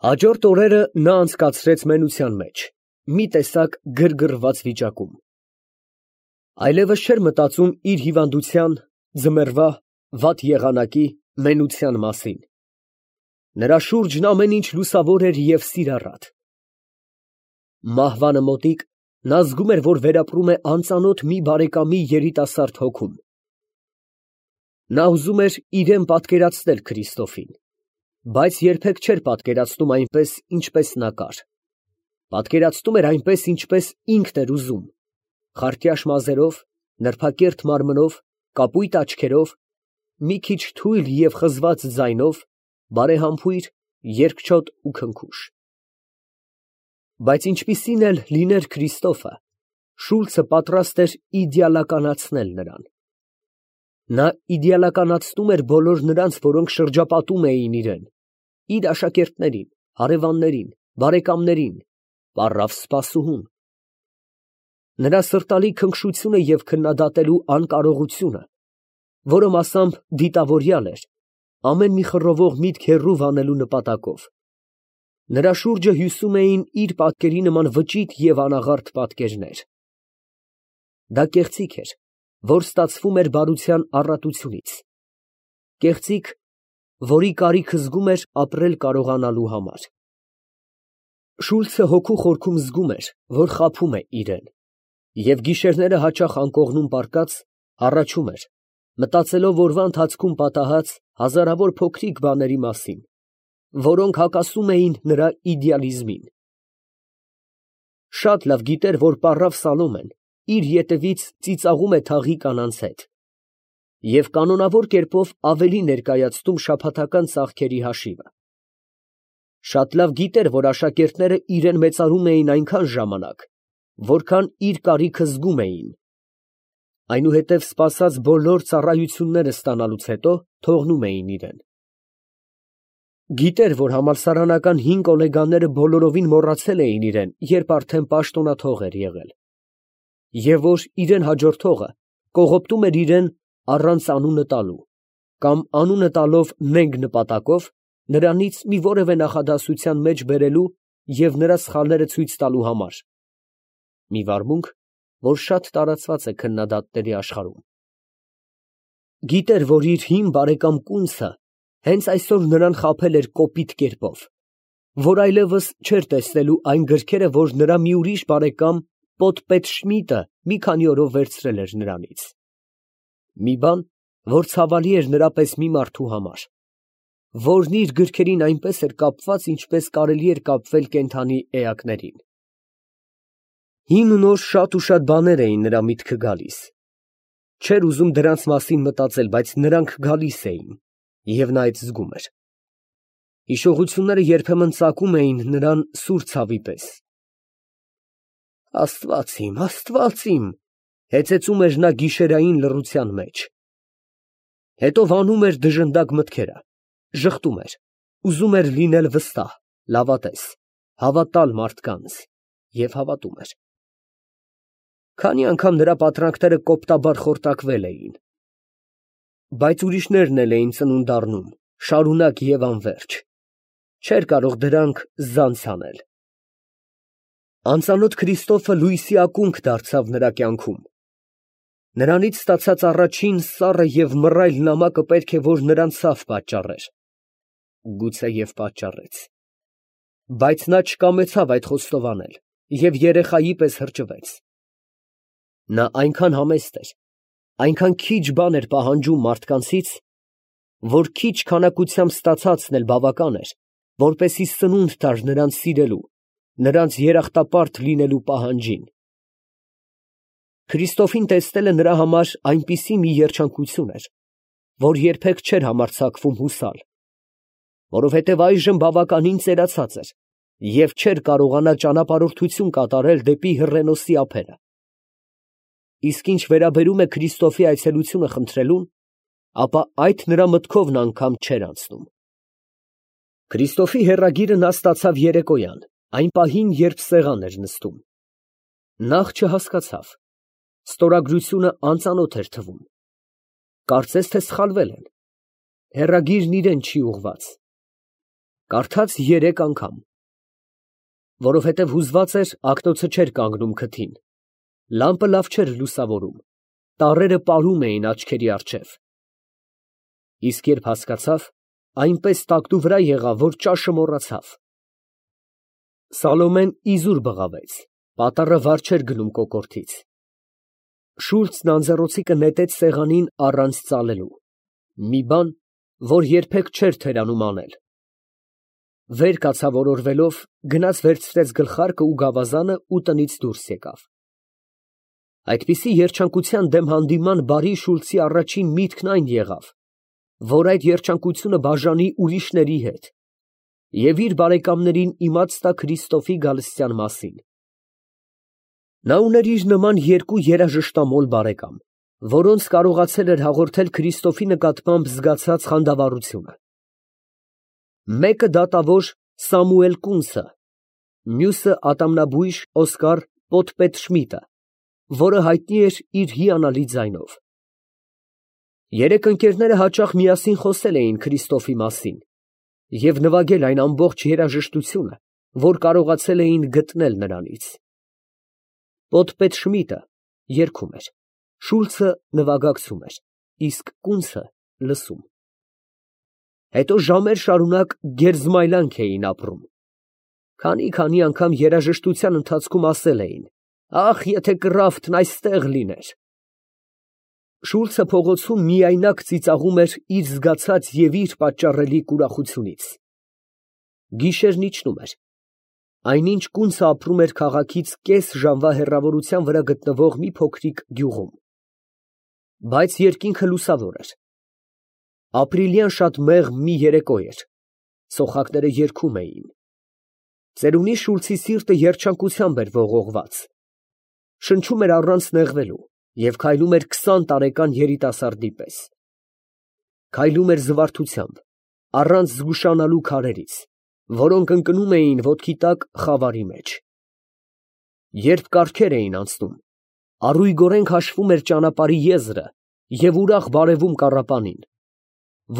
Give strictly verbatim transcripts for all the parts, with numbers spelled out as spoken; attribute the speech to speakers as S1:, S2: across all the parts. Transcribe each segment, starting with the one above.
S1: Հաջորդ օրերը նա անցկացրեց մենության մեջ, մի տեսակ գրգռված վիճակում. այլևս չէր մտածում իր հիվանդության, ձմեռվա, վատ եղանակի, մենության մասին. նրա շուրջն ամեն ինչ լուսավոր էր և սիրառատ։ Մահվանը մոտիկ, նա զգում էր, որ վերապրում է անծանոթ մի բարեկամի երիտասարդ հոգում։ Նա ուզում էր իրան պատկերացնել Քրիստոֆին, բայց երբեք չէր պատկերացնում այնպես, ինչպես նա կար. պատկերացնում էր այնպես, ինչպես ինքն էր ուզում, խարտյաշ մազերով, նրբակերտ մարմնով, կապույտ աչքերով, մի քիչ թույլ և խզված ձայնով, բարեհամբույր, երկչոտ ու քնքուշ։ Բայց ինչպիսին էլ լիներ Քրիստոֆը, Շուլցը պատրաստ էր իդեալականացնել նրան։ Նա իդեալականացնում էր բոլոր նրանց, որոնք շրջապատում էին իրան, իր աշակերտներին, հարևաններին, բարեկամներին, պառավ սպասուհուն։ Նրա սրտալի քնքշությունը և քննադատելու անկարողությունը, որը մասամբ դիտավորյալ էր, ամեն մի խռովող միտք հեռու վանելու նպատակով, նրա շուրջը հյուսում էին իր պատկերի նման վճիտ և անաղարտ պատկերներ։ Դա կեղծիք էր, որ ստացվում էր բարության առատությունից, կեղծիք, որի կարիքը զգում էր ապրել կարողանալու համար։ Շուլցը հոգու խորքում զգում էր, որ խաբում է իրան, և գիշերները հաճախ անկողնում պառկած, հառաչում էր, մտածելով օրվա ընթացքում պատահած հազարավոր փոքրիկ բաների մասին, որոնք հակասում էին նրա իդեալիզմին։ Շատ լավ գիտեր, որ պառավ Սալոմեն իր ետևից ծիծաղում է թաղի կանանց հետ և կանոնավոր կերպով ավելի ներկայացնում շաբաթական ծախքերի հաշիվը։ Շատ լավ գիտեր, որ աշակերտները իրան մեծարում էին այնքան ժամանակ, որքան իր կարիքը զգում էին, այնուհետև սպասած բոլոր ծառայությունները ստանալուց հետո թողնում էին իրան։ Գիտեր, որ համալսարանական հին գոլեգաները բոլորովին մոռացել էին իրան, երբ արդեն պաշտոնաթող էր եղել, և որ իրան հաջորդողը կողոպտում էր իրան առանց անունը տալու, կամ անունը տալով նենգ նպատակով նրանից մի որևէ նախադասության մեջ բերելու և նրա սխալները ցույց տալու համար, մի վարմունք, որ շատ տարածված է քննադատների աշխարհում։ Գիտեր, որ իր հին բարեկամ կունցը հենց այսօր նրան խաբել էր կոպիտ կերպով, որ այլևս չէր տեսնելու այն գրքերը, որ նրա մի ուրիշ բարեկամ Պոտ֊պետշմիտը մի քանի օրով վերցրել էր նրանից։ Մի բան, որ ցավալի էր նրա պես մի մարդու համար, որն իր գրքերին այնպես էր կապված, ինչպես կարելի էր կապվել կենդանի էակներին։ Հին ու նոր շատ ու շատ բաներ էին նրա միտքը գալիս։ Չէր ուզում դրանց մասին մտածել, բայց նրանք գալիս էին, և նա այդ զգում էր։ Հիշողությունները երբեմն ծակում էին նրան սուր ցավի պես։ Աստված իմ, Աստված իմ, հեծեծում էր նա գիշերային լռության մեջ։ Հետո վանում էր դժնդակ մտքերը, ժխտում էր, ուզում էր լինել վստահ, լավատես, հավատալ մարդկանց, և հավատում էր։ Քանի անգամ նրա պատրանքները կոպտաբար խորտակվել էին։ Բայց ուրիշներն էլ էին ծնունդ առնում, շարունակ և անվերջ, չէր կարող դրանք զանց անել։ Անծանոթ Քրիստոֆը լույսի ակունք դարձավ նրա կյանքում։ Նրանից ստացած առաջին սառը և մռայլ նամակը պետք է որ նրան ցավ պատճառեր։ Գուցե և պատճառեց։ Բայց նա չկամեցավ այդ խոստովանել և երեխայի պես հրճվեց։ Նա այնքան համեստ էր, այնքան քիչ բան էր պահանջում մարդկանցից, որ քիչ քանակությամբ ստացածն էլ բավական էր, որպեսզի սնունդ տար նրանց սիրելու, նրանց երախտապարտ լինելու պահանջին։ Քրիստոֆին տեսնելը նրա համար այնպիսի մի երջանկություն էր, որ երբեք չէր համարձակվում հուսալ, որովհետև այժմ բավականին ծերացած էր և չէր կարողանա ճանապարհորդություն կատարել դեպի Հռենոսի ափերը։ Իսկ ինչ վերաբերում է Քրիստոֆի այցելությունը խնդրելուն, ապա այդ նրա մտքովն անգամ չէր անցնում։ Քրիստոֆի հեռագիրը նա ստացավ երեկոյան, այն պահին, երբ սեղան էր նստում։ Նախ չհասկացավ, ստորագրությունը անծանոթ էր թվում։ Կարծես թե սխալվել են, հեռագիրն իրան չի ուղղված։ Կարդաց երեք անգամ, որովհետև հուզված էր, ակտոցը չէր կանգնում քթին, լամպը լավ չէր լուսավորում, տառերը պարում էին աչքերի առջև։ Իսկ երբ հասկացավ, այնպես տակտու վրա եղավ, որ ճաշը մոռացավ։ Սալոմեն իզուր բղավեց, պատառը վար չէր գնում կոկորդից։ Շուլցն անձեռոցիկը նետեց սեղանին առանց ծալելու, մի բան, որ երբեք չէր թերանում անել։ Վեր կացավ օրորվելով, գնաց վերցրեց գլխարկը ու գավազանը ու տնից դուրս եկավ։ Այդպիսի երջանկության դեմ հանդիման բարի Շուլցի առաջին միտքն այն եղավ, որ այդ երջանկությունը բաժանի ուրիշների հետ և իր բարեկամներին իմաց տա Քրիստոսի գալստյան մասին։ Նա ուներ իր նման երկու երաժշտամոլ բարեկամ, որոնց կարողացել էր հաղորդել Քրիստոսի նկատմամբ զգացած խանդավառությունը։ Մեկը դատավոր Սամուել Կունցը, մյուսը ատամնաբույժ Օսկար Պոտպետշմիդտը, որը հայտնի էր իր հիանալի ձայնով։ Երեք ընկերները հաճախ միասին խոսել էին Քրիստոսի մասին և նվագել այն ամբողջ երաժշտությունը, որ կարողացել էին գտնել նրանից։ Պոտպետշմիդտը երգում էր, Շուլցը նվագակցում էր, իսկ Կունցը լսում։ Հետո ժամեր շարունակ գերզմայլանք էին ապրում։ Քանի֊քանի անգամ երաժշտության ընթացքում ասել էին. «Ախ, եթե Կրաֆտն այստեղ լիներ»։ Շուլցը փողոցում միայնակ ծիծաղում էր իր զգացած և իր պատճառելի ուրախությունից։ Գիշերն իջնում էր։ Այնինչ Կունցը ապրում էր քաղաքից կես ժամվա հեռավորության վրա գտնվող մի փոքրիկ գյուղում։ Բայց երկինքը լուսավոր էր։ Ապրիլյան շատ մեղմ մի երեկո էր, սոխակները երգում էին։ Ծերունի Շուլցի սիրտը երջանկությամբ էր ողողված։ Շնչում էր առանց նեղվելու և քայլում էր քսան տարեկան երիտասարդի պես։ Քայլում էր զվարթությամբ, առանց զգուշանալու քարերից, որոնք ընկնում էին ոտքի տակ խավարի մեջ։ Երբ կառքեր էին անցնում, առույգորեն քաշվում էր ճանապարհի եզրը և ուրախ բարևում կառապանին,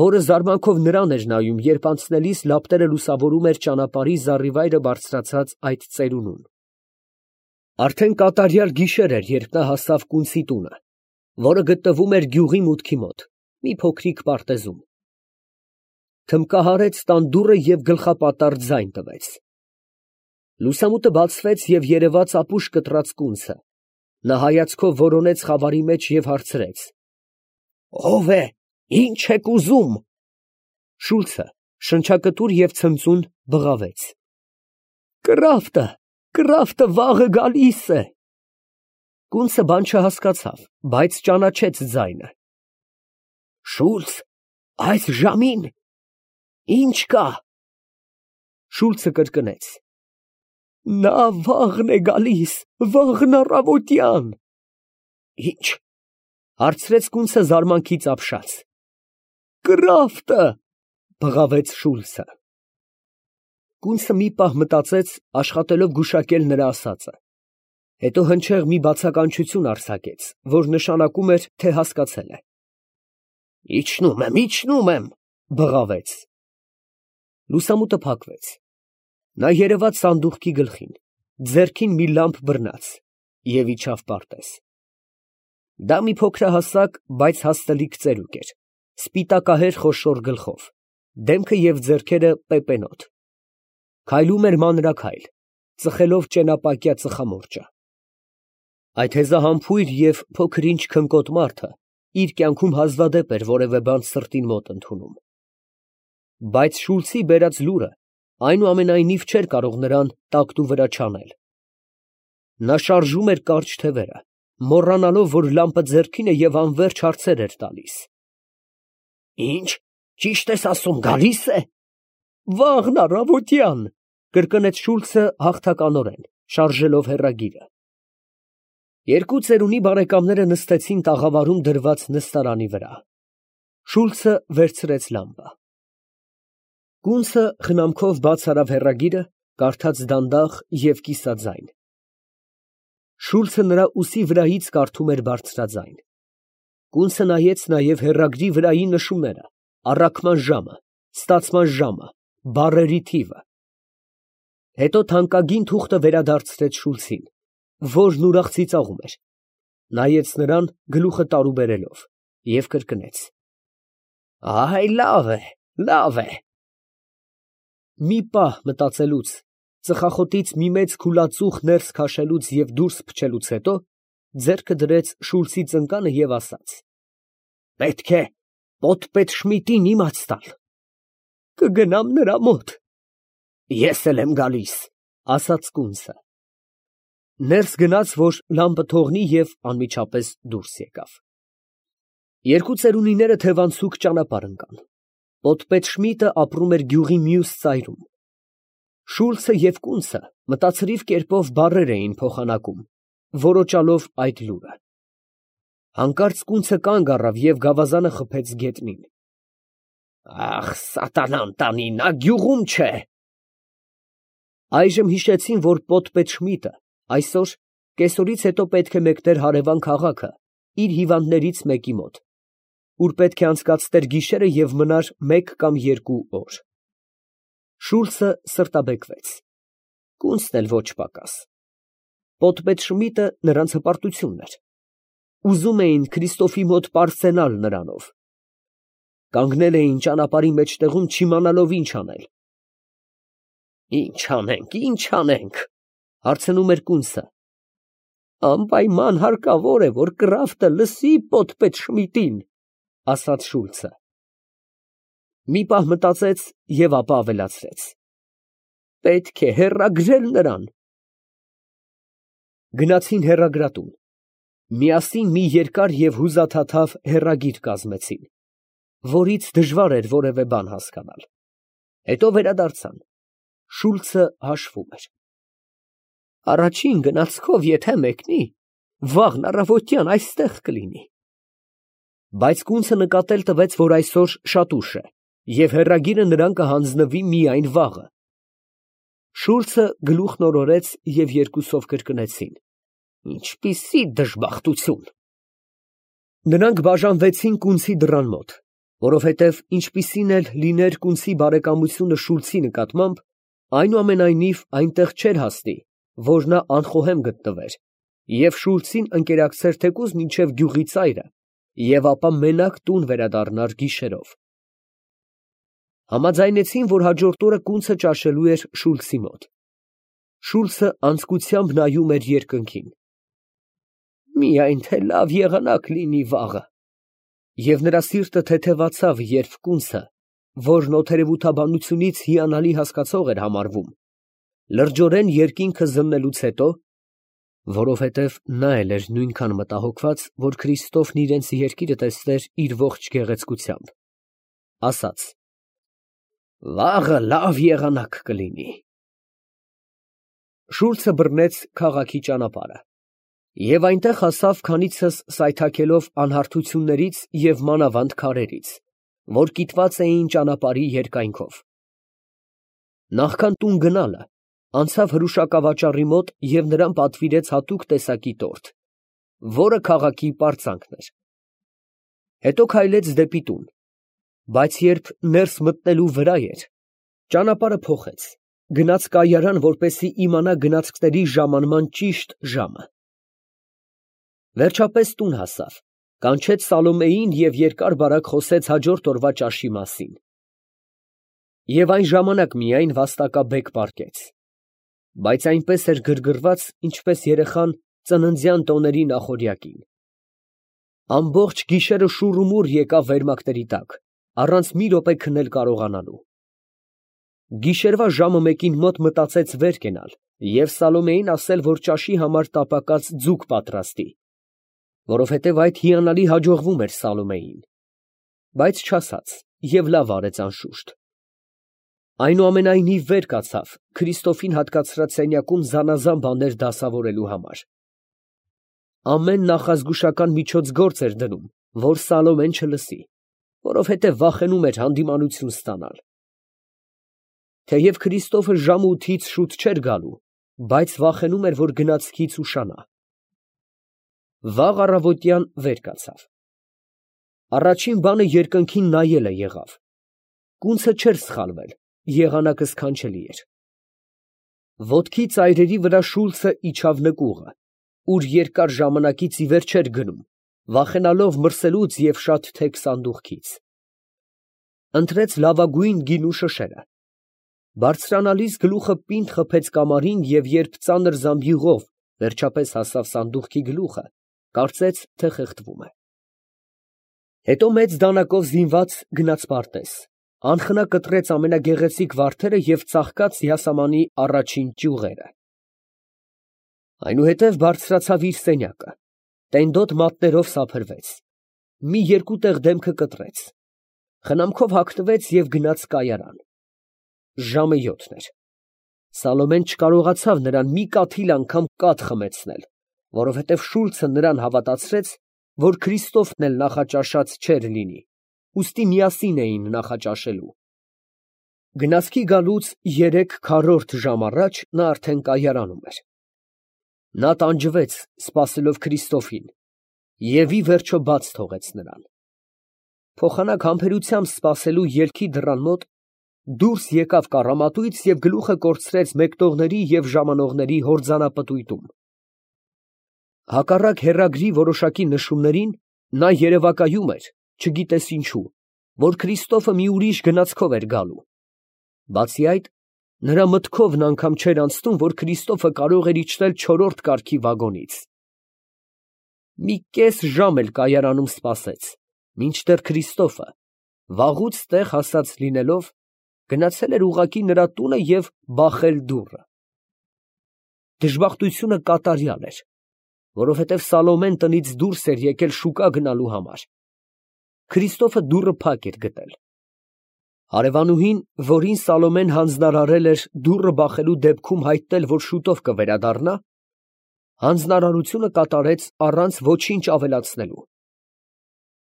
S1: որը զարմանքով նրան էր նայում, երբ անցնելիս լապտերը լուսավորում էր ճանապարհի զառիվայրը բարձրացած այդ ծերունուն։ Արդեն կատարյալ գիշեր էր, երբ նա հասավ Կունցի տունը, որը գտնվում էր գյուղի մուտքի մոտ, մի փոքրիկ պարտեզում։ Թմբկահարեց տան դուռը և գլխապատառ ձայն տվեց։ Լուսամուտը բացվեց և երևաց ապուշ կտրած Կունցը։ Նա հայացքով որոնեց խավարի մեջ և հարցրեց. «Ո՞վ է, ի՞նչ եք ուզում»։ Շուլցը շնչակտուր և ցնծուն բղավեց. «Կրաֆտը, Կրաֆտը վաղը գալիս է»։ Կունցը բան չհասկացավ, բայց ճանաչեց ձայնը։ «Շուլց, այս ժամին, ի՞նչ կա»։ Շուլցը կրկնեց. «Նա վաղն է գալիս, վաղն առավոտյան»։ «Ի՞նչ»։ Հարցրեց Կունցը զարմանքից ապշած։ «Կրաֆտը», բղավեց Շուլցը։ Կունցը մի պահ մտածեց, աշխատելով գուշակել նրա ասածը, հետո հնչեղ մի բացականչություն արձակեց, որ նշանակում էր, թե հասկացել է։ «Իջնում եմ, իջնում եմ», բղավեց։ Լուսամուտը փակվեց։ Նա երևաց սանդուղքի գլխին, ձեռքին մի լամպ բռնած, և իջավ պարտեզ։ Դա մի փոքրահասակ, բայց հաստլիկ ծերուկ էր, սպիտակահեր խոշոր գլխով, դեմքը և ձեռքերը պեպենոտ։ Քայլում էր մանրաքայլ, ծխելով ճենապակյա ծխամորճը։ Այդ հեզահամբույր և փոքր֊ինչ քնկոտ մարդը իր կյանքում հազվադեպ էր որևէ բան սրտին մոտ ընդունում։ Բայց Շուլցի բերած լուրը այնուամենայնիվ չէր կարող նրան տակտու վրա չանել։ Նա շարժում էր կարճ թևերը, մոռանալով, որ լամպը ձեռքին է և անվերջ հարցեր էր տալիս։ «Ի՞նչ, ճիշտ ես ասում, գալի՞ս է»։ «Վաղն առավոտյան», կրկնեց Շուլցը հաղթականորեն, շարժելով հեռագիրը։ Երկու ծերունի բարեկամները նստեցին տաղավարում դրված նստարանի վրա։ Շուլցը վերցրեց լամպը։ Կունցը խնամքով բաց արավ հեռագիրը, կարդաց դանդաղ և կիսաձայն։ Շուլցը նրա ուսի վրայից կարդում էր բարձրաձայն։ Կունցը նայեց նաև հեռագրի վրայի նշումները, առաքման ժամը, ստացման ժամը, բառերի թիվը։ Հետո թանկագին թուղթը վերադարձրեց Շուլցին, որն ուրախ ծիծաղում էր, նայեց նրան գլուխը տարուբերելով և կրկնեց. «Այ լավ է, լավ է»։ Մի պահ մտածելուց, ծխախոտից մի մեծ քուլածուխ ներս քաշելուց և դուրս փչելուց հետո, ձեռքը դրեց Շուլցի ծնկանը և ասաց. «Պետք է պոտպետ Շմիդտին իմաց տալ»։ «Կգնամ նրա մոտ»։ «Ես էլ եմ գալիս», ֊ ասաց կունցը։ Ներս գնաց, որ լամպը թողնի և անմիջապես դուրս եկավ։ Երկու ծերունիները թևանցուկ ճանապարհ ընկան։ Պոտպետ Շմիդտը ապրում էր գյուղի մյուս ծայրում։ Շուլցը և կունցը մտածրիվ կերպով բառեր էին փոխանակում, որոճալով այդ լուրը։ Հանկարծ կունցը կանգ առավ և գավազանը խփեց գետնին։ «Ախ, սատանան տանի, նա գյուղում չէ»։ Այժմ հիշեցին, որ պոտպետ Շմիդտը այսօր կեսօրից հետո պետք է մեկներ հարևան քաղաքը իր հիվանդներից մեկի մոտ, ուր պետք է անցկացներ գիշերը և մնար մեկ կամ երկու օր։ Շուլցը սրտաբեկվեց, կունցն էլ ոչ պակաս։ Պոտպետ Շմիդտը նրանց հպարտությունն էր։ Ուզում էին Քրիստոֆի մոտ պարծենալ նրանով։ Կանգնել էին ճանապարհի մեջտեղում, չիմանալով ինչ անել։ «Ի՞նչ անենք, ի՞նչ անենք», ֊ հարցնում էր կունցը։ «Անպայման հարկավոր է, որ կռավտը լսի պոտպետ Շմիդտին», ֊ ասաց Շուլցը։ Մի պահ մտածեց և ապա ավելացրեց. «Պետք է հեռագրել նրան»։ Գնացին հեռագրատուն։ Միասին մի երկար և հուզաթաթավ հեռագիր կազմեցին, որից դժվար էր որևէ բան հասկանալ։ Հետո վերադարձան։ Շուլցը հաշվում էր. «Առաջին գնացքով եթե մեկնի, վաղն առավոտյան այստեղ կլինի»։ Բայց կունցը նկատել տվեց, որ այսօր շատ ուշ է, և հեռագիրը նրան կհանձնվի միայն վաղը։ Շուլցը գլուխն օրորեց և երկուսով կրկնեցին. «Ինչպիսի դժբախտություն»։ Նրանք բաժանվեցին կունցի դռան մոտ, որովհետև ինչպիսին էլ լիներ կունցի բարեկամությունը Շուլցի նկատմամբ, այնուամենայնիվ այնտեղ չէր հասնի, որ նա անխոհեմ գտնվեր և Շուլցին ընկերակցեր թեկուզ մինչև գյուղի ծայրը և ապա մենակ տուն վերադառնար գիշերով։ Համաձայնեցին, որ հաջորդ օրը կունցը ճաշելու էր Շուլցի մոտ։ Շուլցը անձկությամբ նայում էր երկնքին։ «Միայն թե լավ եղանակ լինի վաղը»։ Եվ նրա սիրտը թեթևացավ, երբ կունցը, որն օթերևութաբանությունից հիանալի հասկացող էր համարվում, լրջորեն երկինքը զննելուց հետո, որովհետև նա էլ էր նույնքան մտահոգված, որ Քրիստոֆն իրենց երկիրը տեսներ իր ողջ գեղեցկությամբ, ասաց. «Վաղը լավ եղանակ կլինի»։ Շուլցը բռնեց քաղաքի ճանապարհը և այնտեղ հասավ քանիցս սայթաքելով անհարթություններից և մանավանդ քարերից, որ կիտված էին ճանապարհի երկայնքով։ Նախքան տուն գնալը, անցավ հրուշակավաճառի մոտ և նրան պատվիրեց հատուկ տեսակի տորթ, որը քաղաքի պարծանքն էր։ Հետո քայլեց դեպի տուն, բայց երբ ներս մտնելու վրա էր, ճանապարհը փոխեց, գնաց կայարան, որպեսզի իմանա գնացքների ժամանման ճիշտ ժամը։ Վերջապես տուն հասավ, կանչեց Սալոմեին և երկար֊բարակ խոսեց հաջորդ օրվա ճաշի մասին։ Եվ այն ժամանակ միայն վաստակաբեկ պառկեց, բայց այնպես էր գրգռված, ինչպես երեխան ծննդյան տոների նախօրյակին։ Ամբողջ գիշերը շուռումուռ եկավ վերմակների տակ, առանց մի րոպե քնել կարողանալու։ Գիշերվա ժամը մեկին մոտ մտածեց վեր կենալ և Սալոմեյին ասել, որ ճաշի համար տապակած ձուկ պատրաստի, որովհետև այդ հիանալի հաջողվում էր Սալոմեյին, բայց չասաց և լավ արեց անշուշտ։ Այնուամենայնիվ վեր կացավ Քրիստոֆին հատկացրած սենյակում զանազան բաներ դասավորելու համար։ Ամեն նախազգուշական միջոցգործ էր դնում, որ Սալոմեն չլսի, որովհետև վախենում էր հանդիմանություն ստանալ։ Թեև Քրիստոֆը ժամը ութից շուտ չէր գալու, բայց վախենում էր, որ գնացքից ուշանա։ Վաղ առավոտյան վեր կացավ։ Առաջին բանը երկնքին նայելը եղավ։ Կունցը չէր սխալվել, եղանակը սքանչելի էր։ Ոտքի ծայրերի վրա Շուլցը իջավ նկուղը, ուր երկար ժամանակից ի վեր չէր գնում, վախենալով մրսելուց և շատ թեք սանդուղքից։ Ընտրեց լավագույն գինու շշերը։ Բարձրանալիս գլուխը պինդ խփեց կամարին և երբ ծանր զամբյուղով վերջապես հասավ սանդուղքի գլուխը, կարծեց, թե խեղդվում է։ Հետո մեծ դանակով զինված գնաց պարտեզ, անխնա կտրեց ամենագեղեցիկ վարդերը և ծաղկաց յասամանի առաջին ճյուղերը։ Այնուհետև բարձրացավ իր սենյակը, տենդոտ մատներով սափրվեց, մի երկու տեղ դեմքը կտրեց, խնամքով հագնվեց և գնաց կայարան։ Ժամը յոթն էր։ Սալոմեն չկարողացավ նրան մի կաթիլ անգամ կաթ խմեցնել, որովհետև Շուլցը նրան հավատացրեց, որ Քրիստոֆն էլ նախաճաշած չէր լինի, ուստի միասին էին նախաճաշելու։ Գնացքի գալուց երեք քառորդ ժամ առաջ նա արդեն կայարանում էր։ Նա տանջվեց, սպասելով Քրիստոֆին, և ի վերջո բաց թողեց նրան։ Փոխանակ համբերությամբ սպասելու ելքի դռան մոտ դուրս եկավ կառամատույց և գլուխը կորցրեց մեկնողների և ժամանողների հորձանապտույտում։ Հակառակ հեռագրի որոշակի նշումներին, նա երևակայում էր, չգիտես ինչու, որ Քրիստոֆը մի ուրիշ գնացքով էր գալու։ Բացի այդ, նրա մտքովն անգամ չէր անցնում, որ Քրիստոֆը կարող էր իջնել չորրորդ կարգի վագոնից։ Մի կես ժամ էլ կայարանում սպասեց, մինչդեռ Քրիստոֆը, վաղուց տեղ հասած լինելով, գնացել էր ուղղակի նրա տունը և բախել դուռը։ Դժբախտությունը կատարյալ էր, որովհետև Սալոմեն տնից դուրս էր եկել շուկա գնալու համար։ Քրիստոֆը դուռը փակ էր գտել։ Հարևանուհին, որին Սալոմեն հանձնարարել էր դուռը բախելու դեպքում հայտնել, որ շուտով կվերադառնա, հանձնարարությունը կատարեց առանց ոչինչ ավելացնելու։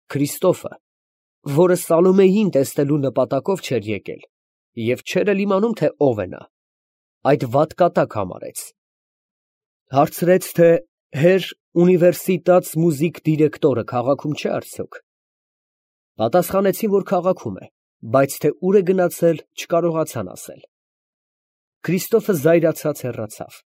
S1: Քրիստոֆը, որը Սալոմեյին տեսնելու նպատակով չէր եկել և չէր էլ իմանում, թե ով է նա, այդ վատ կատակ համարեց։ Հարցրեց, թե հեր ունիվերսիտաց մուզիկ դիրեկտորը քաղաքում չէ արդյոք։ Պատասխանեցին, որ քաղաքում է, բայց թե ուր է գնացել, չկարողացան ասել։ Քրիստոֆը զայրացած հեռացավ։